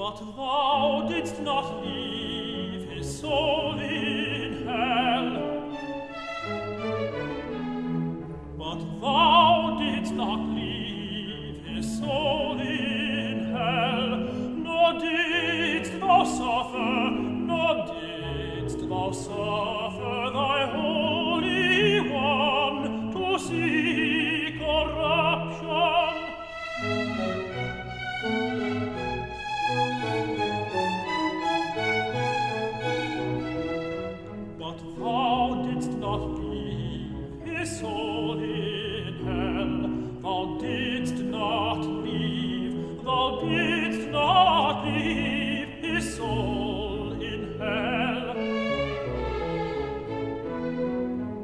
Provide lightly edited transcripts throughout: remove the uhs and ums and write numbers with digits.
But thou didst not leave his soul in hell. But thou didst not leave his soul in hell, nor didst thou suffer thy Holy One to see corruption. But thou didst not leave his soul in hell, thou didst not leave his soul in hell,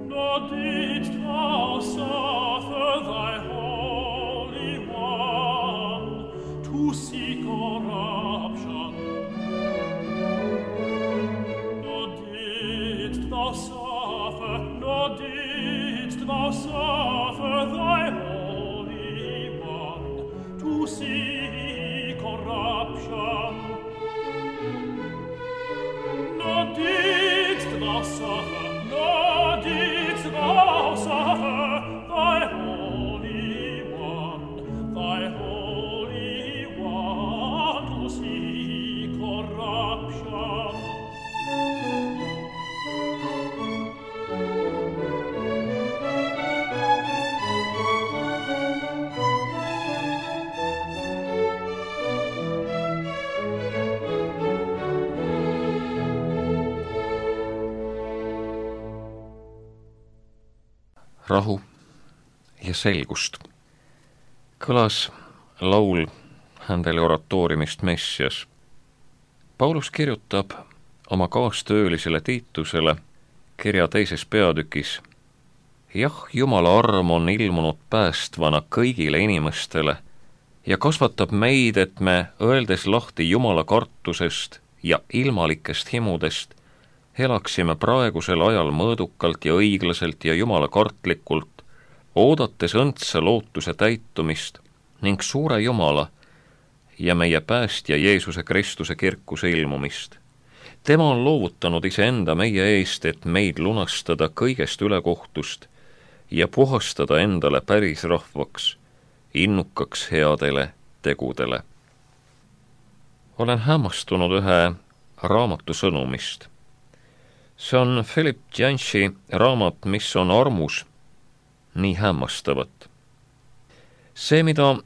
nor didst thou suffer thy Holy One to see corruption. Nor didst thou suffer thy Holy One to see corruption. Nor didst thou suffer thy Holy One to see corruption. Rahu ja selgust. Kõlas laul Händeli oratooriumist Messias. Paulus kirjutab oma kaastöölisele Tiitusele kirja 2. peatükis: jah, Jumala arm on ilmunud päästvana kõigile inimestele ja kasvatab meid, et me, öeldes lahti Jumala kartusest ja ilmalikest himudest, elaksime praegusel ajal mõõdukalt ja õiglaselt ja Jumala kartlikult, oodates õndsa lootuse täitumist ning suure Jumala ja meie päästja Jeesuse Kristuse kirkuse ilmumist. Tema on loovutanud iseenda meie eest, et meid lunastada kõigest ülekohtust ja puhastada endale päris rahvaks, innukaks headele tegudele. Olen hämmastunud ühe raamatu sõnumist. See on Philip Yancey raamat, mis on armus nii hämmastavat. See, mida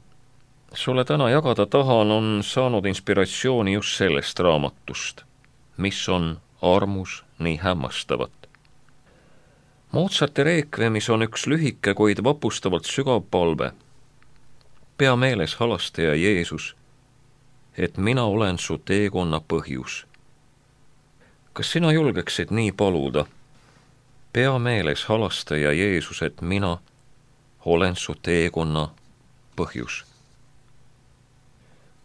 sulle täna jagada tahan, on saanud inspiratsiooni just sellest raamatust, mis on armus nii hämmastavat. Mozarti reekvemis on üks lühike, kuid vapustavalt sügav palve. Pea meeles, halastaja Jeesus, et mina olen su teekonna põhjus. Kas sina julgeksid nii paluda? Pea meeles, halastaja Jeesus, et mina olen su teekonna põhjus.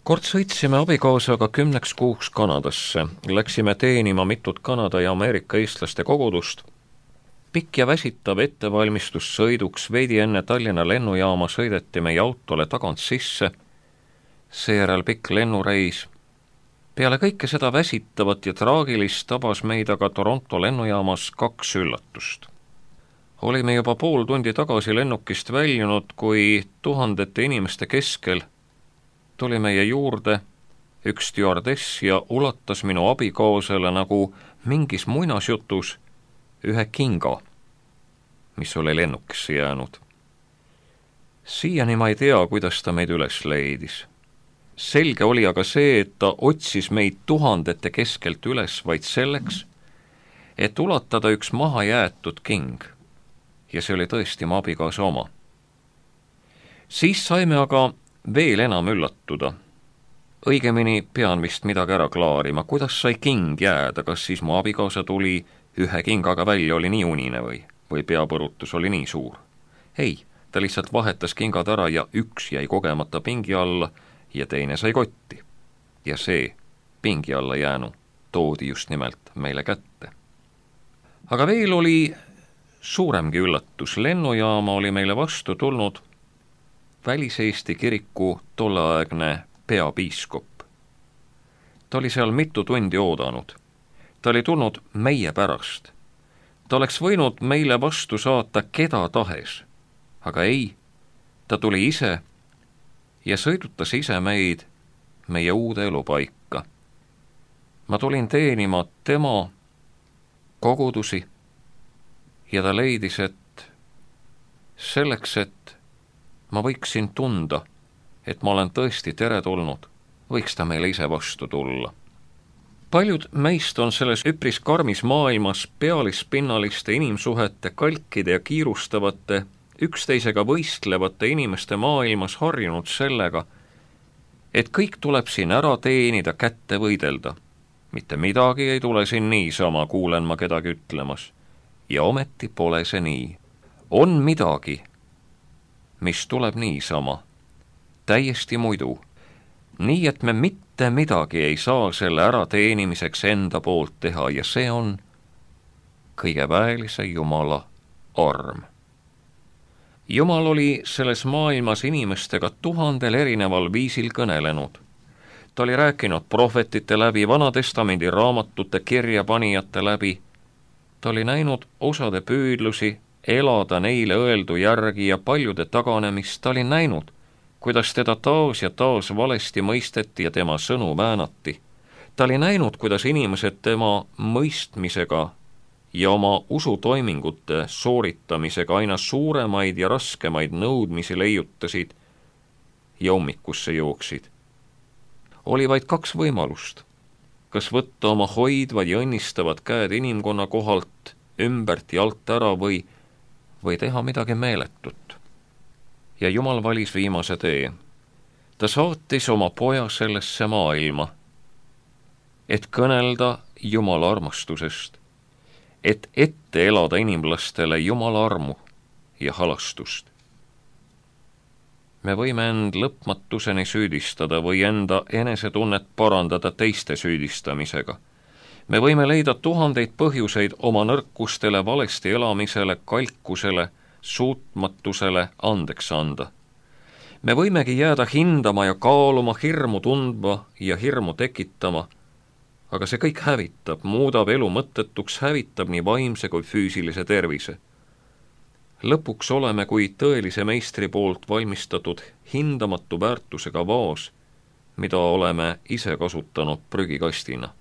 Kord sõitsime abikaasaga 10 kuuks Kanadasse. Läksime teenima mitut Kanada ja Ameerika eestlaste kogudust. Pikk ja väsitav ettevalmistus sõiduks, veidi enne Tallinna lennujaama sõideti meie autole tagant sisse, seejärel pikk lennureis. Peale kõike seda väsitavat ja traagilist tabas meid aga Toronto lennujaamas 2 üllatust. Olime juba pool tundi tagasi lennukist väljunud, kui tuhandete inimeste keskel tuli meie juurde üks stjuardess ja ulatas minu abikaasale nagu mingis muinasjutus ühe kinga, mis oli lennukisse jäänud. Siiani ma ei tea, kuidas ta meid üles leidis. Selge oli aga see, et ta otsis meid tuhandete keskelt üles vaid selleks, et ulatada üks maha jäetud king. Ja see oli tõesti mu abikaasa oma. Siis saime aga veel enam üllatuda. Õigemini pean vist midagi ära klaarima. Kuidas sai king jääda? Kas siis mu abikaasa tuli ühe kingaga välja, oli nii unine või peapõrutus oli nii suur? Ei, ta lihtsalt vahetas kingad ära ja üks jäi kogemata pingi alla ja teine sai kotti. Ja see pingi alla jäänu toodi just nimelt meile kätte. Aga veel oli suuremgi üllatus. Lennujaama oli meile vastu tulnud Välis-Eesti kiriku tolleaegne peapiiskop. Ta oli seal mitu tundi oodanud. Ta oli tulnud meie pärast. Ta oleks võinud meile vastu saata keda tahes, aga ei, ta tuli ise ja sõidutas ise meid meie uude elupaika. Ma tulin teenima tema kogudusi ja ta leidis, et selleks, et ma võiksin tunda, et ma olen tõesti teretulnud, võiks ta meile ise vastu tulla. Paljud meist on selles üpris karmis maailmas pealispinnaliste inimsuhete, kalkide ja kiirustavate, üksteisega võistlevate inimeste maailmas harjunud sellega, et kõik tuleb siin ära teenida, kätte võidelda. Mitte midagi ei tule siin niisama, kuulen ma kedagi ütlemas. Ja ometi pole see nii. On midagi, mis tuleb niisama, täiesti muidu. Nii, et me mitte midagi ei saa selle ärateenimiseks enda poolt teha ja see on kõige väelise Jumala arm. Jumal oli selles maailmas inimestega 1000 erineval viisil kõnelenud. Ta oli rääkinud prohvetite läbi, Vanatestamendi raamatute kirjapanijate läbi. Ta oli näinud osade püüdlusi elada neile öeldu järgi ja paljude taganemist. Ta oli näinud, kuidas teda taas ja taas valesti mõisteti ja tema sõnu väänati. Ta oli näinud, kuidas inimesed tema mõistmisega ja oma usutoimingute sooritamisega aina suuremaid ja raskemaid nõudmisi leiutasid ja ummikusse jooksid. Oli vaid 2 võimalust. Kas võtta oma hoidvad ja õnnistavad käed inimkonna kohalt ümbert ja alt ära või teha midagi meeletut. Ja Jumal valis viimase tee. Ta saatis oma poja sellesse maailma, et kõnelda Jumala armastusest, et ette elada inimlastele Jumala armu ja halastust. Me võime end lõpmatuseni süüdistada või enda enesetunnet parandada teiste süüdistamisega. Me võime leida 1000 põhjuseid oma nõrkustele, valesti elamisele, kalkusele, suutmatusele andeks anda. Me võimegi jääda hindama ja kaaluma, hirmu tundma ja hirmu tekitama, aga see kõik hävitab, muudab elu mõttetuks, hävitab nii vaimse kui füüsilise tervise. Lõpuks oleme kui tõelise meistri poolt valmistatud hindamatu väärtusega vaas, mida oleme ise kasutanud prügikastina.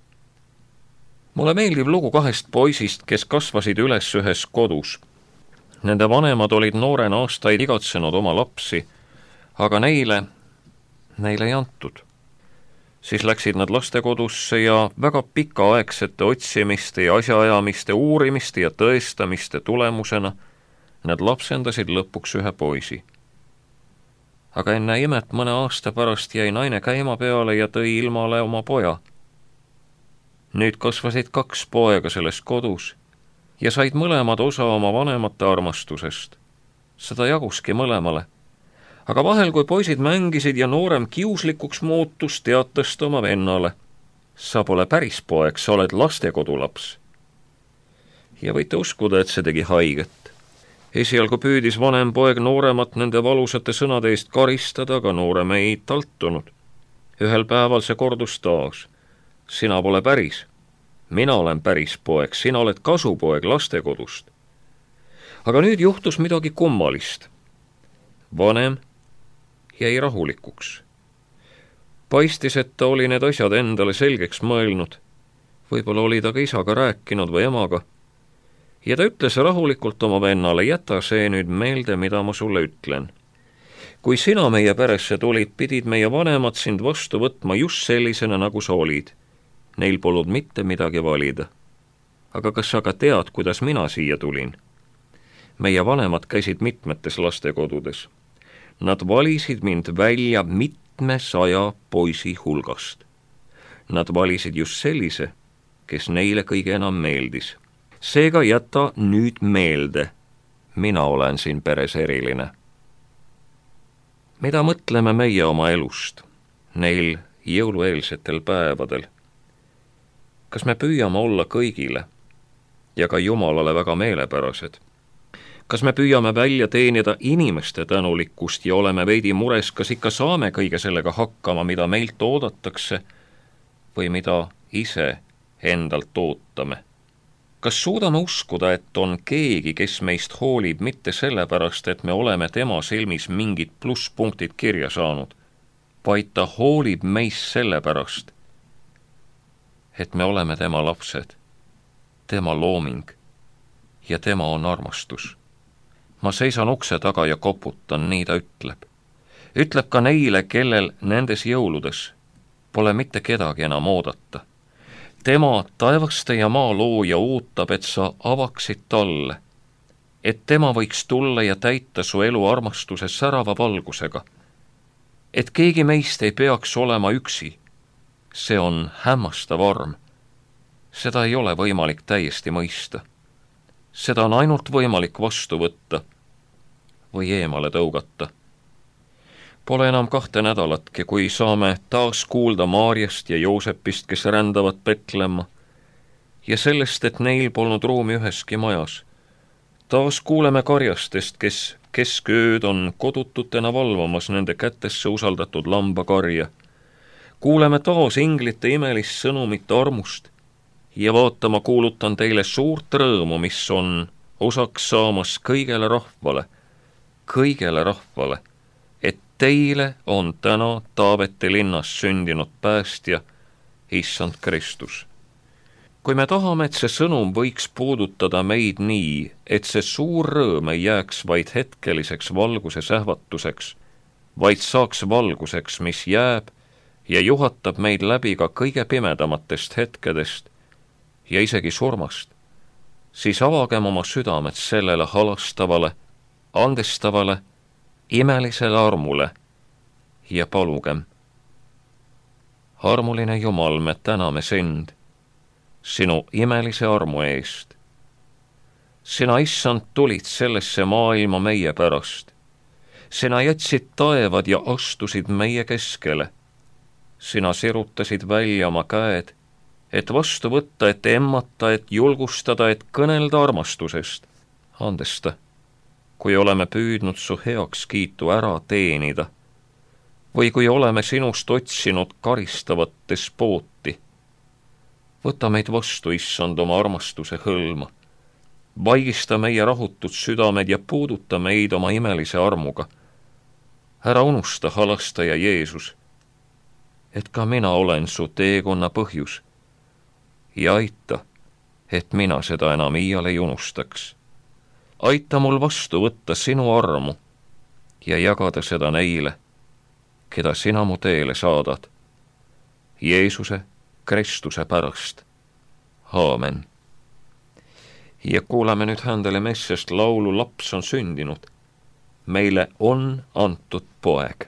Mulle meeldib lugu 2 poisist, kes kasvasid üles ühes kodus. Nende vanemad olid noorena aastaid igatsenud oma lapsi, aga neile ei antud. Siis läksid nad lastekodusse ja väga pikaaegsete otsimiste ja asjaajamiste, uurimiste ja tõestamiste tulemusena nad lapsendasid lõpuks ühe poisi. Aga enne imet mõne aasta pärast jäi naine käima peale ja tõi ilmale oma poja. Nüüd kasvasid 2 poega selles kodus ja said mõlemad osa oma vanemate armastusest. Seda jaguski mõlemale. Aga vahel, kui poisid mängisid ja noorem kiuslikuks muutus, teatas ta oma vennale. Sa pole päris poeg, sa oled lastekodulaps. Ja võite uskuda, et see tegi haiget. Esialgu püüdis vanem poeg nooremat nende valusate sõnade eest karistada, aga noorem ei taltunud. Ühel päeval see kordus taas. Sina pole päris. Mina olen päris poeg, sina oled kasupoeg lastekodust. Aga nüüd juhtus midagi kummalist. Vanem jäi rahulikuks. Paistis, et ta oli need asjad endale selgeks mõelnud. Võib-olla oli ta ka isaga rääkinud või emaga. Ja ta ütles rahulikult oma vennale, jäta see nüüd meelde, mida ma sulle ütlen. Kui sina meie peresse tulid, pidid meie vanemad sind vastu võtma just sellisena, nagu sa olid. Neil polnud mitte midagi valida. Aga kas sa ka tead, kuidas mina siia tulin? Meie vanemad käisid mitmetes lastekodudes. Nad valisid mind välja 700 poisi hulgast. Nad valisid just sellise, kes neile kõige enam meeldis. Seega jäta nüüd meelde, mina olen siin peres eriline. Mida mõtleme meie oma elust, neil jõulueelsetel päevadel? Kas me püüame olla kõigile ja ka Jumalale väga meelepärased? Kas me püüame välja teenida inimeste tänulikkust ja oleme veidi mures, kas ikka saame kõige sellega hakkama, mida meilt oodatakse, või mida ise endalt ootame. Kas suudame uskuda, et on keegi, kes meist hoolib mitte sellepärast, et me oleme tema silmis mingid plusspunktid kirja saanud, vaid ta hoolib meist sellepärast, et me oleme tema lapsed, tema looming ja tema on armastus. Ma seisan ukse taga ja koputan, nii ta ütleb. Ütleb ka neile, kellel nendes jõuludes pole mitte kedagi enam oodata. Tema, taevaste ja maa looja, ootab, et sa avaksid talle, et tema võiks tulla ja täita su elu armastuse särava valgusega. Et keegi meist ei peaks olema üksi, see on hämmastav arm. Seda ei ole võimalik täiesti mõista. Seda on ainult võimalik vastu võtta või eemale tõugata. Pole enam 2 nädalatki, kui saame taas kuulda Maarjast ja Joosepist, kes rändavad Betlemma, ja sellest, et neil polnud ruumi üheski majas. Taas kuuleme karjastest, kes keskööd on kodututena valvamas nende kätesse usaldatud lambakarja. Kuuleme taas inglite imelist sõnumit armust ja vaatama kuulutan teile suurt rõõmu, mis on osaks saamas kõigele rahvale, et teile on täna Taaveti linnas sündinud päästja, issand Kristus. Kui me tahame, et see sõnum võiks puudutada meid nii, et see suur rõõm ei jääks vaid hetkeliseks valguse sähvatuseks, vaid saaks valguseks, mis jääb ja juhatab meid läbi ka kõige pimedamatest hetkedest ja isegi surmast, siis avagem oma südamed sellele halastavale, andestavale, imelisele armule ja palugem. Armuline Jumal, me täname sind sinu imelise armu eest. Sina, issand, tulid sellesse maailma meie pärast. Sina jätsid taevad ja astusid meie keskele. Sina sirutasid välja oma käed, et vastu võtta, et emmata, et julgustada, et kõnelda armastusest. Andesta, kui oleme püüdnud su heakskiitu ära teenida või kui oleme sinust otsinud karistavat despooti. Võta meid vastu, issand, oma armastuse hõlma. Vaigista meie rahutud südamed ja puuduta meid oma imelise armuga. Ära unusta, halastaja Jeesus, et ka mina olen su teekonna põhjus ja aita, et mina seda enam iial ei unustaks. Aita mul vastu võtta sinu armu ja jagada seda neile, keda sina mu teele saadad. Jeesuse Kristuse pärast. Aamen. Ja kuulame nüüd Händele Messest laulu Laps on sündinud. Meile on antud poeg.